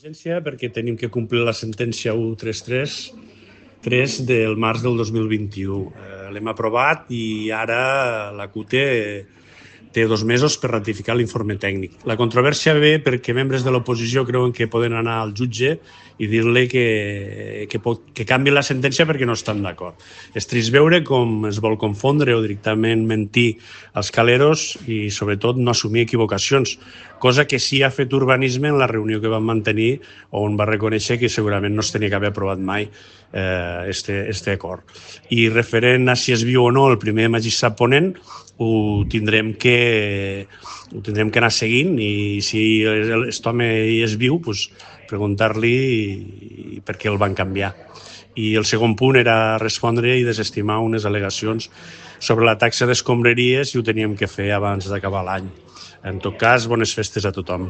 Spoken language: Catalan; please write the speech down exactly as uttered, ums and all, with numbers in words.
Urgència perquè tenim que complir la sentència cent trenta-tres tres del març del dos mil vint-i-u. Eh, l'hem aprovat i ara la C U T té dos mesos per ratificar l'informe tècnic. La controvèrsia ve perquè membres de l'oposició creuen que poden anar al jutge i dir-li que, que, pot, que canvi la sentència perquè no estan d'acord. És trist veure com es vol confondre o directament mentir als caleros i, sobretot, no assumir equivocacions, cosa que sí ha fet Urbanisme en la reunió que vam mantenir on va reconèixer que segurament no es tenia que haver aprovat mai eh, este, este acord. I referent a si es viu o no el primer magistrat ponent, ho tindrem que, ho tindrem que anar seguint i si aquest home hi és viu, doncs preguntar-li per què el van canviar. I el segon punt era respondre i desestimar unes al·legacions sobre la taxa d'escombraries i ho teníem que fer abans d'acabar l'any. En tot cas, bones festes a tothom.